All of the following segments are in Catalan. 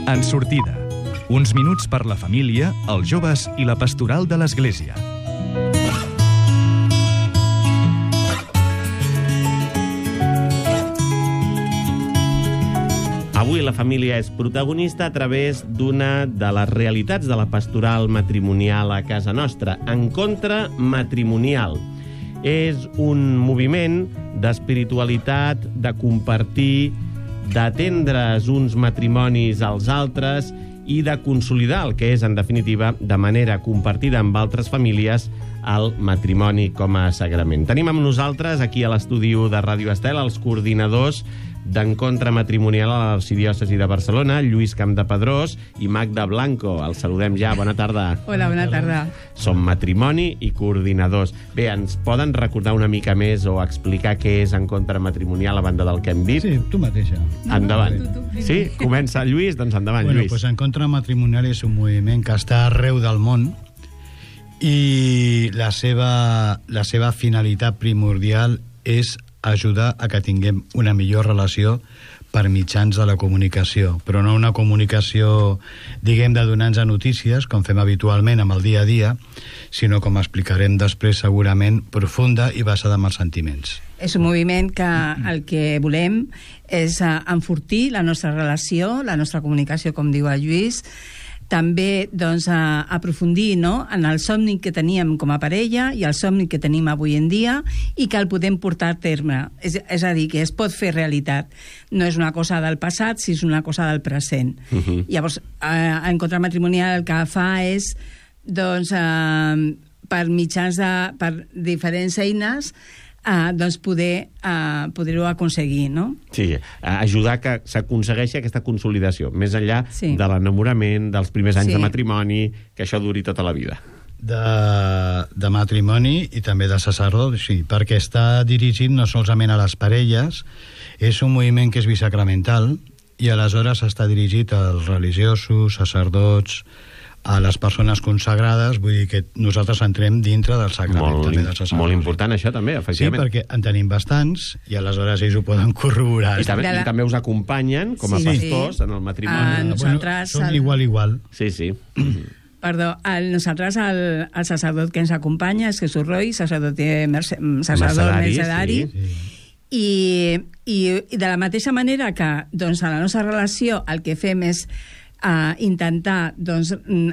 En sortida. Uns minuts per la família, els joves i la pastoral de l'Església. Avui la família és protagonista a través d'una de les realitats de la pastoral matrimonial a casa nostra, Encontre Matrimonial. És un moviment d'espiritualitat, de compartir, d'atendre's uns matrimonis als altres i de consolidar el que és, en definitiva, de manera compartida amb altres famílies, el matrimoni com a sagrament. Tenim amb nosaltres, aquí a l'estudi de Ràdio Estel, els coordinadors d'Encontre Matrimonial a l'Arxidiòcesi de Barcelona, Lluís Campdepadrós i Magda Blanco. Els saludem ja. Bona tarda. Hola, bona tarda. Som matrimoni i coordinadors. Bé, ens poden recordar una mica més o explicar què és Encontre Matrimonial a banda del que hem dit? Sí, tu mateixa. Endavant. Sí? Comença Lluís? Doncs endavant, bueno, Lluís. Pues Encontre Matrimonial és un moviment que està arreu del món i la seva finalitat primordial és ajudar a que tinguem una millor relació per mitjans de la comunicació, però no una comunicació, diguem, de donar-nos notícies, com fem habitualment amb el dia a dia, sinó, com explicarem després segurament, profunda i basada en els sentiments. És un moviment que el que volem és enfortir la nostra relació, la nostra comunicació, com diu el Lluís, també doncs, aprofundir, no?, en el somni que teníem com a parella i el somni que tenim avui en dia i que el podem portar a terme. És a dir, que es pot fer realitat. No és una cosa del passat, sinó és una cosa del present. Llavors, Encontre Matrimonial el que fa és, doncs, per mitjans per diferents eines, doncs poder-ho aconseguir, no? Sí, ajudar que s'aconsegueixi aquesta consolidació, més enllà de l'enamorament, dels primers anys de matrimoni, que això duri tota la vida. De matrimoni i també de sacerdot, sí, perquè està dirigit no solament a les parelles, és un moviment que és bisacramental i aleshores està dirigit als religiosos, sacerdots, a les persones consagrades, vull dir que nosaltres entrem dintre del sagrament també dels sacerdots. Molt important això també, efectivament. Sí, perquè en tenim bastants i aleshores ells ho poden corroborar. I també us acompanyen com a pastors en el matrimoni. Nosaltres... Som igual. Sí, sí. Perdó, nosaltres el sacerdot que ens acompanya és Jesús Roy, sacerdot mercedari, i de la mateixa manera que doncs, a la nostra relació el que fem és intentar doncs,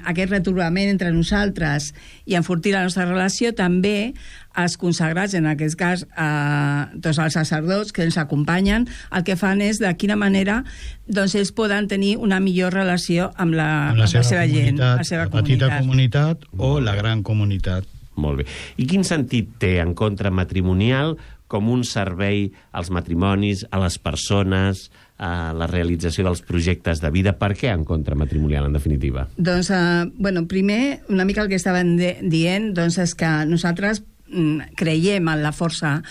aquest retrobament entre nosaltres i enfortir la nostra relació, també els consagrats, en aquest cas doncs els sacerdots que ens acompanyen, el que fan és de quina manera doncs, ells poden tenir una millor relació amb la seva gent, la seva petita comunitat o la gran comunitat. Molt bé. I quin sentit té Encontre Matrimonial com un servei als matrimonis, a les persones, a la realització dels projectes de vida? Per què Encontre Matrimonial, en definitiva? Doncs, primer, una mica el que estaven dient, doncs és que nosaltres creiem en la força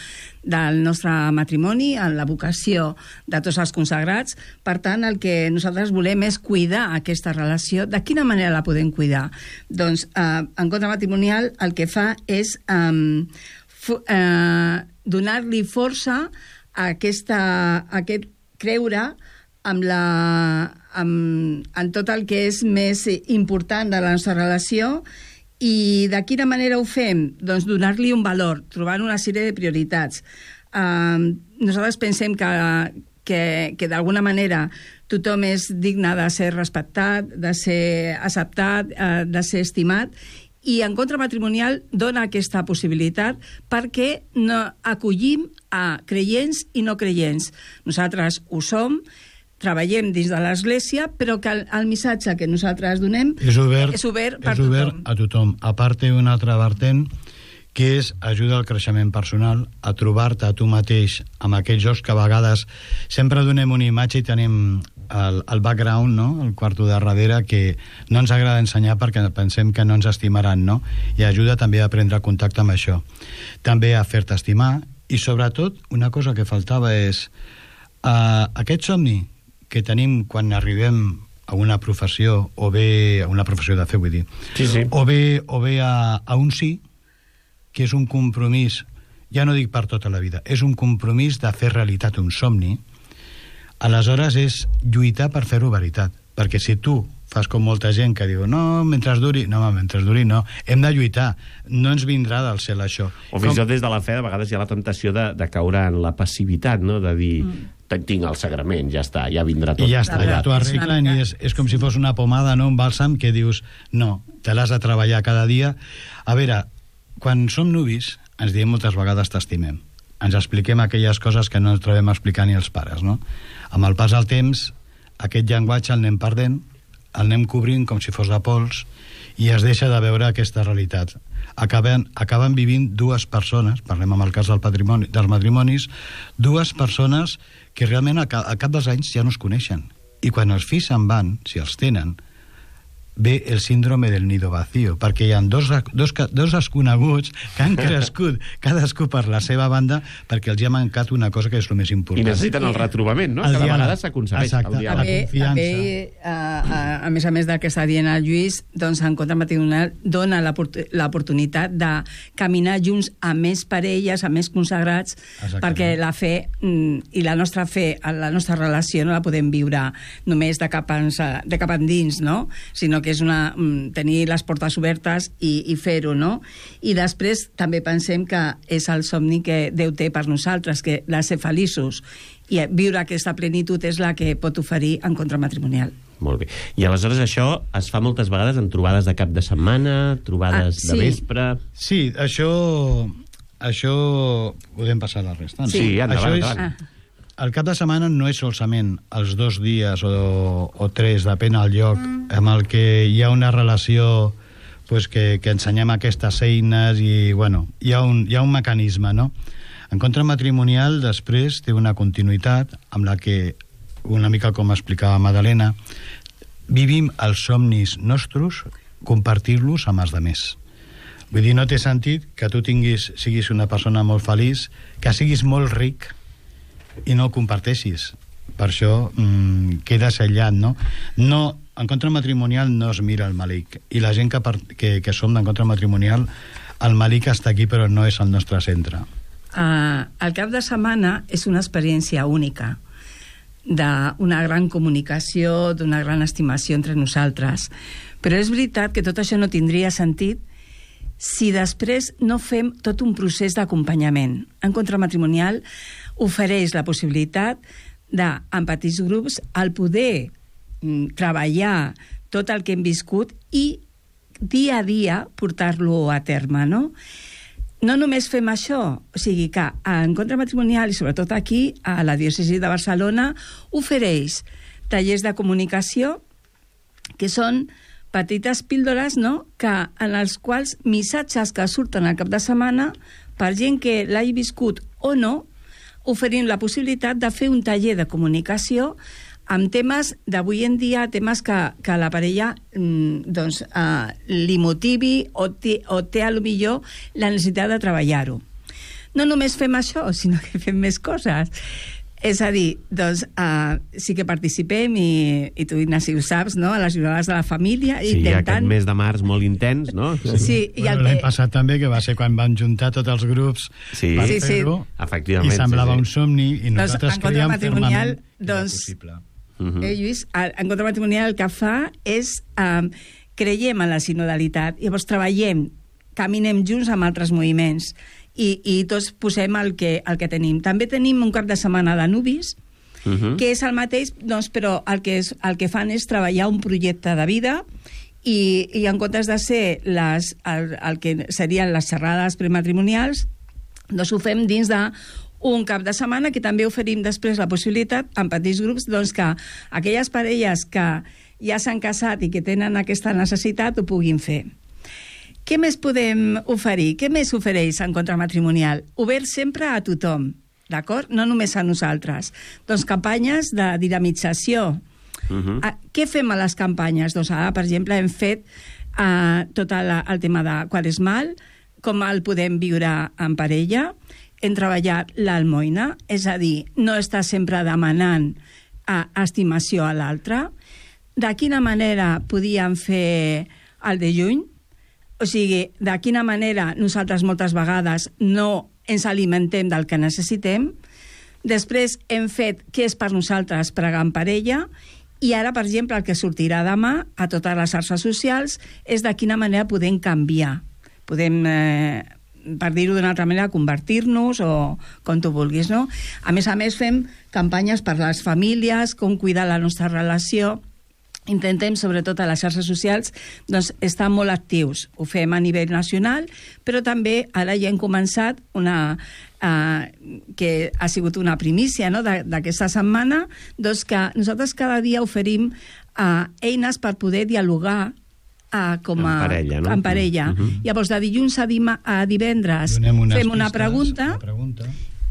del nostre matrimoni, en la vocació de tots els consagrats. Per tant, el que nosaltres volem és cuidar aquesta relació. De quina manera la podem cuidar? Doncs, Encontre Matrimonial el que fa és donar-li força a aquest creure en tot el que és més important de la nostra relació. I de quina manera ho fem? Doncs donar-li un valor, trobant una sèrie de prioritats. Nosaltres pensem que d'alguna manera tothom és digne de ser respectat, de ser acceptat, de ser estimat, i Encontre Matrimonial dona aquesta possibilitat perquè acollim a creients i no creients. Nosaltres ho som, treballem dins de l'Església, però que el missatge que nosaltres donem és obert per tothom. A tothom. A part, un altre vertent que és ajuda al creixement personal, a trobar-te a tu mateix amb aquells jocs que a vegades sempre donem una imatge i tenim el background, no?, el quarto de darrere, que no ens agrada ensenyar perquè pensem que no ens estimaran, no? I ajuda també a prendre contacte amb això. També a fer-te estimar i, sobretot, una cosa que faltava és aquest somni que tenim quan arribem a una professió, o bé a una professió de fe, vull dir, o bé a un sí, que és un compromís, ja no dic per tota la vida, és un compromís de fer realitat un somni. Aleshores és lluitar per fer-ho veritat. perquè si tu fas com molta gent que diu mentre duri no, hem de lluitar, no ens vindrà del cel això. O fins i tot des de la fe de vegades hi ha la temptació de caure en la passivitat, no? De dir, tinc el sagrament, ja està, ja vindrà tot. I ja està, ja t'ho arreglen, i és com si fos una pomada, no? Un bàlsam que dius, no, te l'has de treballar cada dia. A veure, quan som nuvis ens diem moltes vegades t'estimem, ens expliquem aquelles coses que no ens trobem a explicar ni els pares, no? Amb el pas del temps aquest llenguatge el anem perdent, el anem cobrint com si fos de pols, i es deixa de veure aquesta realitat. Acaben vivint dues persones, parlem amb el cas dels matrimonis, dues persones que realment al cap dels anys ja no es coneixen. I quan els fills se'n van, si els tenen, ve el síndrome del nido vacío, perquè hi ha dos desconeguts que han crescut cadascú per la seva banda perquè els ha mancat una cosa que és el més important. I necessiten el retrobament, no? Cada vegada s'aconsegueix el diàleg. La confiança. A més del que està dient el Lluís, doncs Encontre Matrimonial dona l'oportunitat de caminar junts a més parelles, a més consagrats, perquè la fe i la nostra fe, la nostra relació no la podem viure només de cap endins, no? Sinó que és tenir les portes obertes i fer-ho, no? I després també pensem que és el somni que Déu té per nosaltres, que de ser feliços, i viure aquesta plenitud és la que pot oferir Encontre Matrimonial. Molt bé. I aleshores això es fa moltes vegades en trobades de cap de setmana, trobades de vespre... Sí, això podem passar a la resta. Sí, endavant. El cap de setmana no és solament els 2 dies o 3, depèn del lloc, amb el que hi ha una relació pues, que ensenyem aquestes eines i, bueno, hi ha un mecanisme, no? Encontre Matrimonial després té una continuïtat amb la que, una mica com explicava Madalena, vivim els somnis nostres, compartir-los amb els altres. Vull dir, no té sentit que tu siguis una persona molt feliç, que siguis molt ric, i no ho comparteixis. Per això quedes aïllat, no? Encontre Matrimonial no es mira el malic, i la gent que som d'Encontre Matrimonial, el malic està aquí però no és el nostre centre. El cap de setmana és una experiència única, d'una gran comunicació, d'una gran estimació entre nosaltres, però és veritat que tot això no tindria sentit si després no fem tot un procés d'acompanyament. Encontre Matrimonial ofereix la possibilitat en petits grups el poder treballar tot el que hem viscut i dia a dia portar-lo a terme, no? No només fem això, o sigui que Encontre Matrimonial, i sobretot aquí, a la diòcesi de Barcelona, ofereix tallers de comunicació que són petites píldores, no?, en els quals missatges que surten al cap de setmana, per gent que l'hagi viscut o no, oferint la possibilitat de fer un taller de comunicació amb temes d'avui en dia, temes que la parella li motivi o té a lo millor la necessitat de treballar-ho. No només fem això, sinó que fem més coses. És a dir, doncs, sí que participem, i tu, Ignasi, ho saps, no?, a les jornades de la família. Sí, intentant... aquest mes de març molt intens, no? Sí, l'any passat també, que va ser quan vam juntar tots els grups per fer-ho, efectivament, i semblava un somni, i nosaltres creiem fermament que era possible. Lluís, Encontre Matrimonial el que fa és creiem en la sinodalitat, llavors treballem, caminem junts amb altres moviments, i tots posem el que tenim. També tenim un cap de setmana de nuvis, que és el mateix, doncs, però el que fan és treballar un projecte de vida, i en comptes de ser el que serien les xerrades prematrimonials, doncs ho fem dins d'un cap de setmana, que també oferim després la possibilitat, en petits grups, doncs, que aquelles parelles que ja s'han casat i que tenen aquesta necessitat ho puguin fer. Què més podem oferir? Què més ofereix Encontre Matrimonial? Obert sempre a tothom, d'acord? No només a nosaltres. Doncs campanyes de dinamització. Què fem a les campanyes? Doncs ara, per exemple, hem fet tot el tema de quaresmal, com el podem viure en parella. Hem treballat l'almoina, és a dir, no estar sempre demanant estimació a l'altre. De quina manera podíem fer el de juny? O sigui, de quina manera nosaltres moltes vegades no ens alimentem del que necessitem. Després hem fet què és per nosaltres pregar en parella, I ara, per exemple, el que sortirà demà a totes les xarxes socials és de quina manera podem canviar. Podem, per dir-ho d'una altra manera, convertir-nos o com tu vulguis, no? A més, fem campanyes per les famílies, com cuidar la nostra relació. Intentem, sobretot a les xarxes socials, doncs, estar molt actius. Ho fem a nivell nacional, però també ara ja hem començat que ha sigut una primícia, no?, d'aquesta setmana, doncs que nosaltres cada dia oferim eines per poder dialogar en parella, no? En parella. Llavors, de dilluns a divendres fem una pregunta.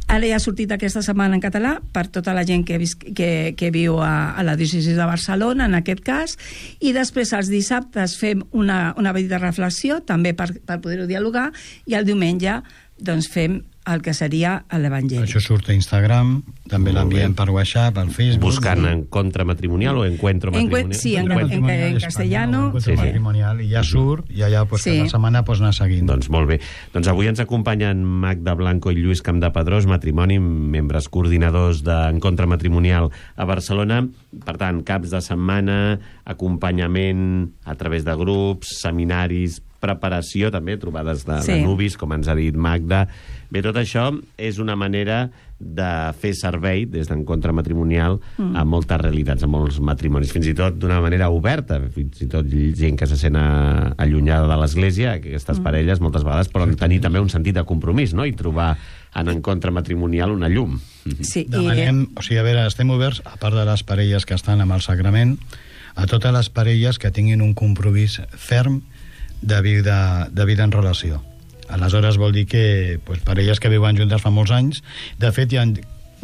Ara ja ha sortit aquesta setmana en català per tota la gent que viu a la diòcesi de Barcelona, en aquest cas, i després els dissabtes fem una petita reflexió, també per poder-ho dialogar, i el diumenge doncs, fem el que seria l'Evangeli. Això surt a Instagram, també l'enviem per WhatsApp, al Facebook. Buscant Encontre Matrimonial o Encuentro Matrimonial? Sí, en castellano. Encuentro Matrimonial, i ja surt, i allà cada setmana pots anar seguint. Doncs molt bé. Doncs avui ens acompanyen Magda Blanco i Lluís Campdepadrós, matrimoni, membres coordinadors d'Encontre Matrimonial a Barcelona. Per tant, caps de setmana, acompanyament a través de grups, seminaris, preparació, també, trobades de nuvis, com ens ha dit Magda. Bé, tot això és una manera de fer servei des d'Encontre Matrimonial a moltes realitats, a molts matrimonis, fins i tot d'una manera oberta, fins i tot gent que se sent allunyada de l'Església, aquestes parelles moltes vegades poden tenir també un sentit de compromís, no?, i trobar en Encontre Matrimonial una llum. Sí, demanem, o sigui, a veure, estem oberts, a part de les parelles que estan amb el sagrament, a totes les parelles que tinguin un compromís ferm de vida en relació. Aleshores vol dir que parelles que viuen juntes fa molts anys, de fet hi ha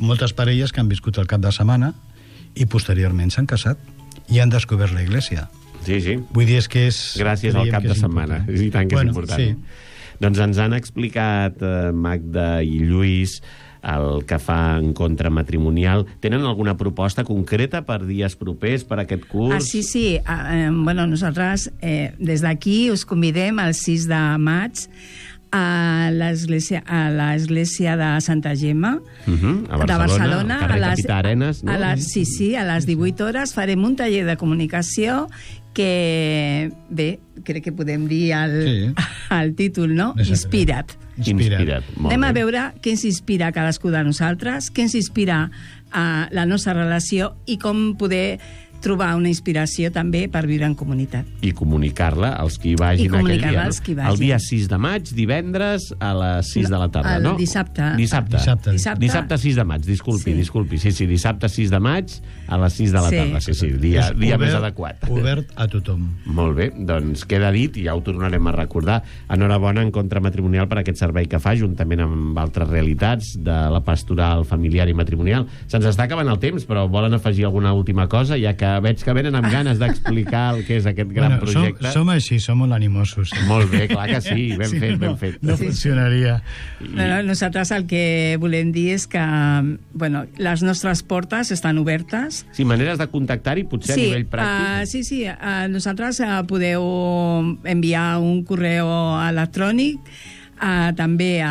moltes parelles que han viscut el cap de setmana i posteriorment s'han casat i han descobert la Iglésia. Sí. Vull dir que és... Gràcies al cap de setmana. I tant que és important. Sí. Doncs ens han explicat Magda i Lluís el que fa Encontre Matrimonial. Tenen alguna proposta concreta per dies propers, per aquest curs? Sí. Bueno, nosaltres des d'aquí us convidem el 6 de maig a l'església de Santa Gemma de Barcelona, carrer Capità Arenas, no? A les 18 hores farem un taller de comunicació que, bé, crec que podem dir el títol, no? Inspira't. Anem a veure què ens inspira a cadascú de nosaltres, què ens inspira a la nostra relació i com poder trobar una inspiració també per viure en comunitat. I comunicar-la als que hi vagin aquell dia. El dia 6 de maig, divendres, a les 6 de la tarda, no? Dissabte. Dissabte 6 de maig, disculpi. Sí, dissabte 6 de maig, a les 6 de la tarda. Sí, dia més adequat. Obert a tothom. Molt bé, doncs queda dit, i ja ho tornarem a recordar. Enhorabona Encontre Matrimonial per aquest servei que fa, juntament amb altres realitats de la pastoral familiar i matrimonial. Se'ns està acabant el temps, però volen afegir alguna última cosa, ja que veig que venen amb ganes d'explicar el que és aquest gran projecte. Som així, som molt animosos. Molt bé, clar que sí, ben fet. No funcionaria. Nosaltres el que volem dir és que les nostres portes estan obertes. Sí, maneres de contactar-hi, potser a nivell pràctic. Sí, nosaltres podeu enviar un correu electrònic, també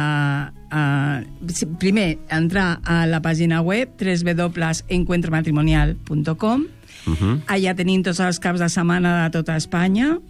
primer entrar a la pàgina web www.encuentrematrimonial.com. Allà tenim tots els caps de setmana de tota Espanya,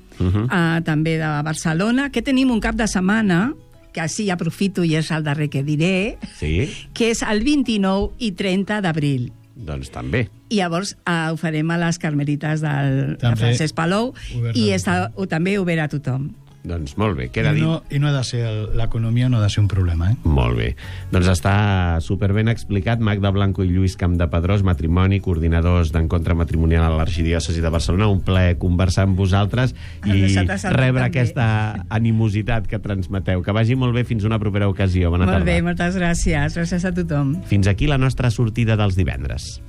també de Barcelona, que tenim un cap de setmana, que així aprofito i és el darrer que diré, que és el 29 i 30 d'abril. Doncs també. I llavors ho farem a les Carmelites de Francesc Palou i està també obert a tothom. Doncs molt bé, queda dit. I no ha de ser, l'economia no ha de ser un problema, Molt bé. Doncs està superben explicat. Magda Blanco i Lluís Campdepadrós, matrimoni, coordinadors d'Encontre Matrimonial a l'Arxidiòcesi de Barcelona. Un plaer conversar amb vosaltres i rebre aquesta animositat que transmeteu. Que vagi molt bé, fins una propera ocasió. Bona tarda. Molt bé, moltes gràcies. Gràcies a tothom. Fins aquí la nostra sortida dels divendres.